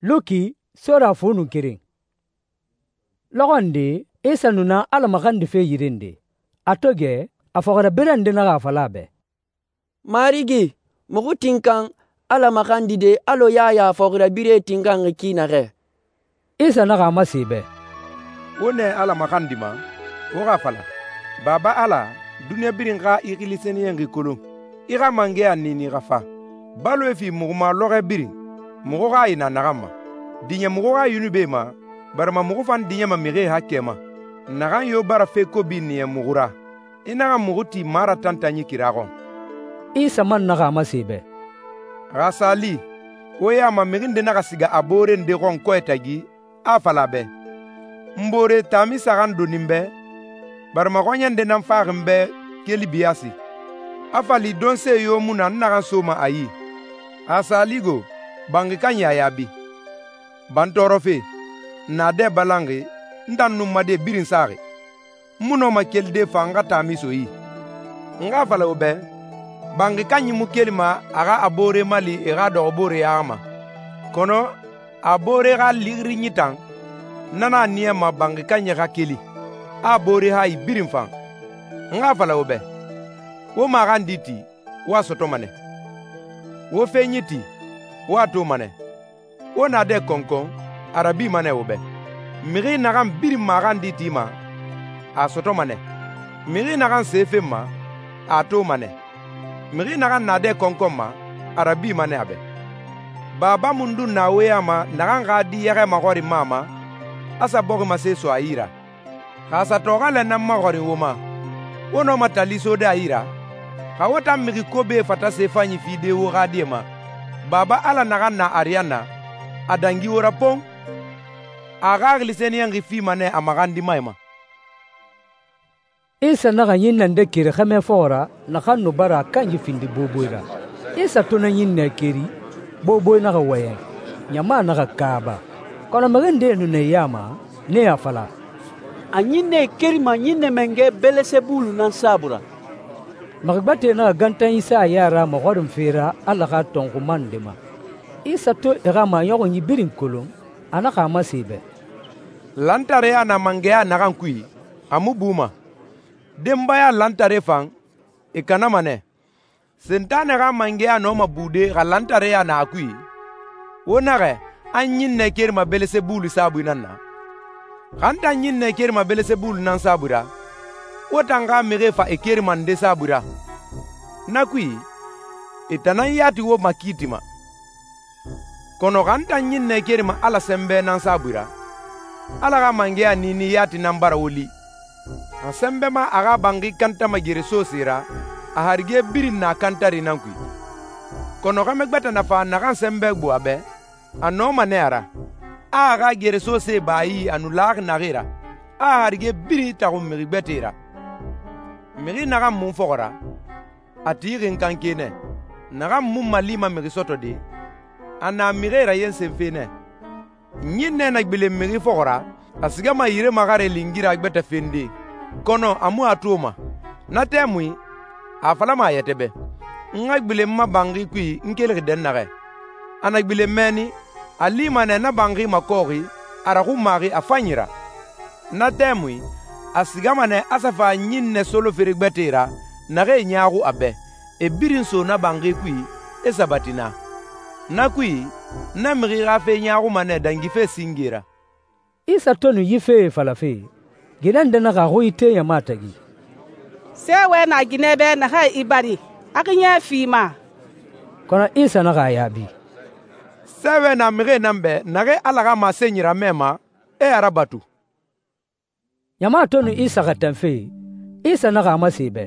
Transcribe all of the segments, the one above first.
Luki sora fu nun keren. Lɔxɔ nde, Isa nu na Ala maxandife yire nde. A to gɛ, a fɔxirabirɛ nde naxa a fala a bɛ, «Marigi, muxu tinkan Ala maxandide alɔ Yaya fɔxirabirɛe tinkanxi ki naxɛ.» Isa naxa a masen e bɛ, «Wo nɛ Ala maxandima, wo xa a fala, Baba Ala, duniɲa birin xa i xili sɛniyɛnxi kolon. I xa mangɛya niini xa fa. Baloe fi muxu ma lɔxɔɛ birin, muxu xa i na naxan ma. Diɲɛ muxu xa yunubie ma, barima muxu fan diɲɛma mixie haakɛ ma. Naxan yo bara fe kobi niya muxu ra, i naxa muxu ti maratantanyi kira xɔn.» Isa man naxa a masen e bɛ, «Xa sa li, wo ya ma mixi nde naxa siga a boore nde xɔn kɔɛ tagi, a fala a bɛ, ‹N boore taami saxan doni n bɛ, barima xɔɲɛ nde nan faxi n bɛ keli biyasi. A fa li donse yo mu na n naxan soma a yi.› Xa sa li go, banxi kanyi a yaabi, ‹Ba n tɔɔrɔfe, n na dɛ balanxi, n tan nun n ma die birin saxi. N mu nɔma kelide fan n xa taami so yi.› N xa a fala wo bɛ, banxi kanyi mu kelima a xa a boore mali e xa dɔxɔboore yaxi ma, kɔnɔ a boore xa lixiri tan, na nan a niyama banxi kanyi xa keli, a a boore hayi birin fan. N xa a fala wo bɛ, wo maxandi ti, wo a sɔtɔma nɛ. Wo fenyi ti, wo a toma nɛ. Wo naadɛ kɔnkɔn, a rabima nɛ wo bɛ. Mixi naxan birin maxandi tima, a sɔtɔma nɛ. Mixi naxan se fenma, a toma nɛ. Mixi naxan naadɛ kɔnkɔn ma, a rabima nɛ a bɛ. Baba mundun na wo ya ma naxan xa di yɛxɛ maxɔrinma a ma, a sa bɔximase so a yi ra? Xa a sa tɔxɔɛ nan maxɔrin wo ma, wo nɔma tali sode a yi ra? Xa wo tan mixi kobie fata se fanyi fide wo xa die ma, Baba Ala naxan na ariyanna, a dangi wo ra pon. A xaxili sɛniyɛnxi fima nɛ a maxandimae ma.» Isa naxa ɲinnɛ nde keri xɛmɛ fɔxɔ ra naxan nu bara a kanyi findi boboe ra. Isa to na ɲinnɛ keri, boboe naxa wɔyɛn, ɲama naxa kaaba. Kɔnɔ mixi ndee nu na e ya ma, nee a fala, «A ɲinnɛe kerima ɲinnɛ mangɛ Belesebulu nan saabui ra.» Mixi gbɛtɛe naxa gantan Isa a ya ra maxɔrinfe ra Ala xa tɔnxuma nde ma. Isa to e xa maɲɔxunyi birin kolon, a naxa a masen e bɛ, «Lantareya na mangɛya naxan kui, a mu buma. Denbaya lantare fan, e kanama nɛ. Sentanɛ xa mangɛya nɔma bude xa lantareya na a kui? Wo naxɛ, an ɲinnɛ kerima Belesebulu saabui nan na? Xa n tan ɲinnɛ kerima Belesebulu nan saabui ra, wo tan xa mixie fa e kerima nde saabui ra? Na kui, e tan nan yati wo makiitima. Kɔnɔ xa n tan ɲinnɛ kerima Ala sɛnbɛ nan saabui ra, Ala xa mangɛya niini yati nan bara wo li. A sɛnbɛ ma a xa banxi kantama gere soose ra, a harige birin na kantari nan kui. Kɔnɔ xɛmɛ gbɛtɛ na fa naxan sɛnbɛ gbo a bɛ, a nɔma nɛ a ra, a a xa gere soose ba a yi a nu laxi naxee ra, a a harige birin taxun mixi gbɛtɛe ra. Mixi naxan mun fɔxɔra, a tixi n kanke nɛ. Naxan mun malima mixi sɔtɔde, a na mixie rayensenfe nɛ. Ɲinnɛ na gbilen mixi fɔxɔra, a sigama yire maxare lingira gbɛtɛ fende, kɔnɔ a mu a toma. Na tɛmui, a falama a yɛtɛ bɛ, n xa gbilen n ma banxi kui n kelixi dɛnnaxɛ. A na gbilen mɛnni, a lima nɛ na banxi makɔɔxi, a raxunmaxi a fanyi ra. Na tɛmui, a sigama nɛ a sa fa ɲinnɛ solofere gbɛtɛe ra, naxee ɲaaxu a bɛ, e birin so na banxi kui, e sabati naa. Na kui, na mixi xa fe ɲaaxuma nɛ dangife singe ra.» Isa to nu yi fee falafe, ginɛ nde naxa a xui ite ɲama tagi, «Sɛɛwɛ na ginɛ bɛ naxɛ i bari, a xi ɲɛ fi ma.» Kɔnɔ Isa naxa a yaabi, «Sɛɛwɛ na mixie nan bɛ naxee Ala xa masenyi ramɛ ma, e a rabatu.» ɲama to nu Isa xɛtɛnfe, Isa naxa a masen e bɛ,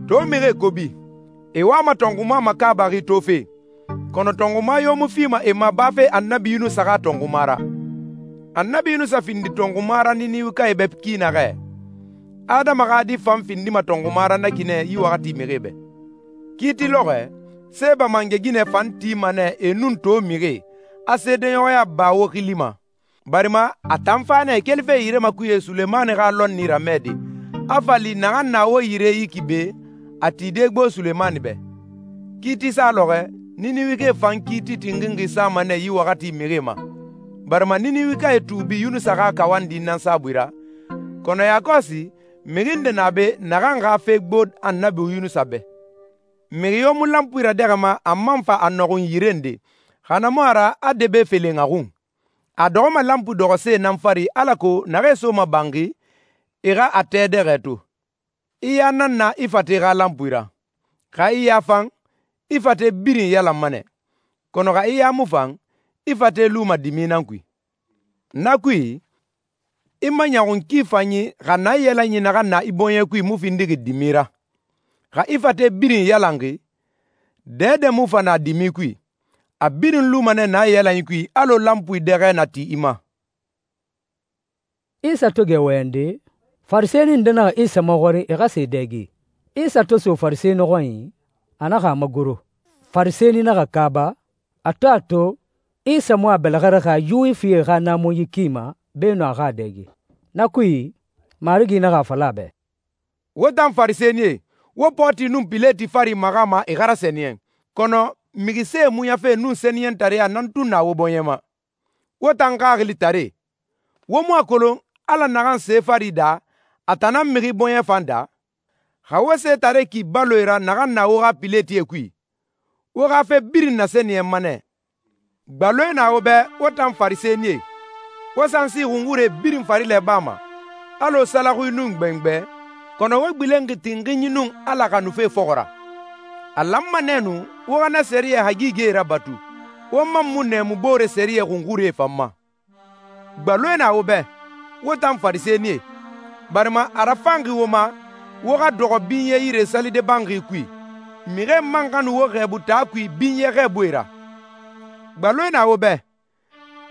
«To mixie kobi, e wama tɔnxuma makaabaxi tofe, kɔnɔ tɔnxuma yo mu fima e ma bafe Annabi Yunusa xa tɔnxuma ra. Annabi Yunusa findi tɔnxuma ra Niniwikae bɛ ki naxɛ. Adama xa di fan findima tɔnxuma ra na ki nɛ yi waxati mixie bɛ. Kiiti lɔxɔɛ, Seba mangɛ ginɛ fan tima nɛ e nun to mixie, a seedeɲɔxɔya ba wo xili ma. Barima a tan fa nɛ kelife yire makuye Sulemani xa lɔnni ramɛde, a fa li naxan na wo yire yi ki be, a tide gbo Sulemani bɛ. Kiiti sa lɔxɔɛ, Niniwike fan kiiti tinxinxi sama nɛ yi waxati mixie ma, barima Niniwikae tuubi Yunusa xa kawandi nan saabui ra, kɔnɔ yakɔsi mixi nde na be naxan xa fe gbo Annabi Yunusa bɛ. Mixi yo mu lanpui radɛxɛma a man fa a nɔxun yire nde, xa na mu a ra a debe felen a xun. A dɔxɔma lanpu dɔxɔse nan fari alako naxee soma banxi, e xa a tɛ dɛxɛ to. I ya nan na i fate xa lanpui ra. Xa i ya fan, i fate birin yalanma nɛ. Kɔnɔ xa i ya mu fan, i fate luma dimi nan kui. Na kui, i maɲɔxun ki fanyi xa naiyalanyi naxan na i bɔɲɛ kui mu findixi dimi ra. Xa i fate birin yalanxi, dɛdɛ mu fa na dimi kui. A birin luma nɛ naiyalanyi kui alɔ lanpui dɛxɛ na ti i ma. Isa to gɛ wɔyɛnde, Farisɛni nde naxa Isa maxɔrin e xa sa e dɛge. Isa to so Farisɛni xɔnyi, a naxa a magoro. Farisɛni naxa kaaba, a to Isa mu a bɛlɛxɛraxi a Yuwifie xa naamunyi ki ma beenun a xa a dɛge. Na kui, Marigi naxa a fala a bɛ, Wo tan Farisɛnie, wo Pɔti nun Pileti fari maxama e xa rasɛniyɛn, kɔnɔ mixisee muɲafe nun sɛniyɛntareya nan tun na wo bɔɲɛ ma. Wo tan xaxilitare, wo mu a kolon Ala naxan se fari daa, a tan nan mixi bɔɲɛ fan daa? Xa wo setare ki baloe ra naxan na wo xa Piletie kui, wo xa fe birin nasɛniyɛnma nɛ. Gbaloe na wo bɛ wo tan Farisɛnie, wo sansi xunxure birin farilɛ bama, alɔ salaxui nun gbɛngbɛ, kɔnɔ wo gbilenxi tinxinyi nun Ala xanufe fɔxɔ ra. A lanma nɛɛnu wo xa na sɛriyɛ hagigie rabatu, wo man mu nɛɛmu boore sɛriyɛ xunxurie fan ma. Gbaloe na wo bɛ wo tan Farisɛnie, barima a rafanxi wo ma wo xa dɔxɔ binyɛ yire salide banxi kui, mixie man xa nu wo xɛɛbu taa kui binyɛ xɛɛbuie ra. Gbaloe na wo bɛ,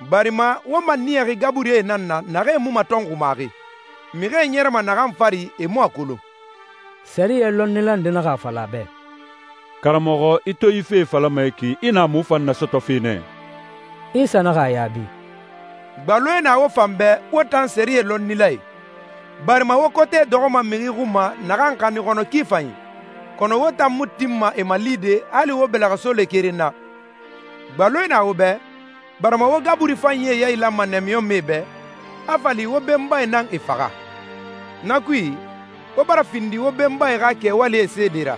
barima wo maniyaxi gaburie nan na naxee mu matɔnxumaxi, mixie ɲɛrɛma naxan fari e mu a kolon. Sɛriyɛ lɔnnila nde naxa a fala a bɛ, Karamɔxɔ, i to yi fee falama yi ki, i na mu fan nasɔtɔfe nɛ? Isa naxa a yaabi, Gbaloe na wo fan bɛ wo tan sɛriyɛ lɔnnilae, barima wo kote dɔxɔma mixi xun ma naxan xanni xɔnɔ ki fanyi, kɔnɔ wo tan mu tinma e malide hali wo bɛlɛxɛso le keren na. Gbaloe na wo bɛ, barima wo gaburi fanyie yailanma nɛmiyɔnmɛe bɛ, a fali wo benbae nan e faxa. Na kui, wo bara findi wo benbae xa kɛwalie seede ra.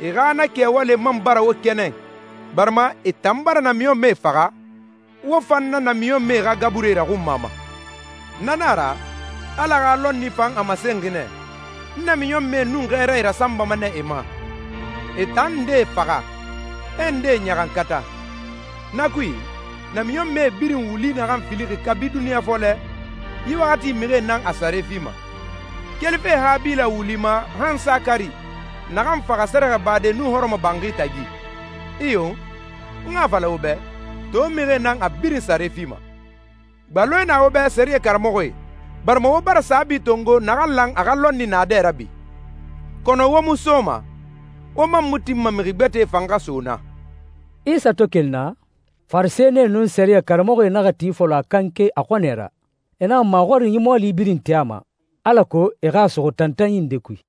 E xa na kɛwale man bara wo kɛnɛ, barima e tan bara namiɲɔnmɛe faxa, wo fan na namiɲɔnmɛe xa gabure raxunma ma. Na nan a ra, Ala xa lɔnni fan a masenxi nɛ, n namiɲɔnmɛe nun xɛɛrae rasanbama nɛ e ma. E tan ndee faxa, e ndee ɲaxankata. Na kui, namiɲɔnmɛe birin wuli naxan filixi kabi duniɲa fɔlɛ, yi waxati mixie nan a sare fima. Kelife Habila wuli ma han Sakari, naxan faxa sɛrɛxɛbade nun hɔrɔmɔ banxi tagi. Iyo, n xa fala wo bɛ, to mixie nan a birin sare fima. Gbaloe na wo bɛ sɛriyɛ karamɔxɔe, barima wo bara saabi tongo naxan lan a xa lɔnni naadɛ ra bi. Kɔnɔ wo mu soma, wo man mu tinma mixi gbɛtɛe fan xa so na. Isa to keli na, Farisɛnie nun sɛriyɛ karamɔxɔe naxa ti fɔlɔ a kanke a xɔnɛ ra. E naxa maxɔrin yi mɔɔli birin ti a ma, alako e xa a suxu tantanyi nde kui.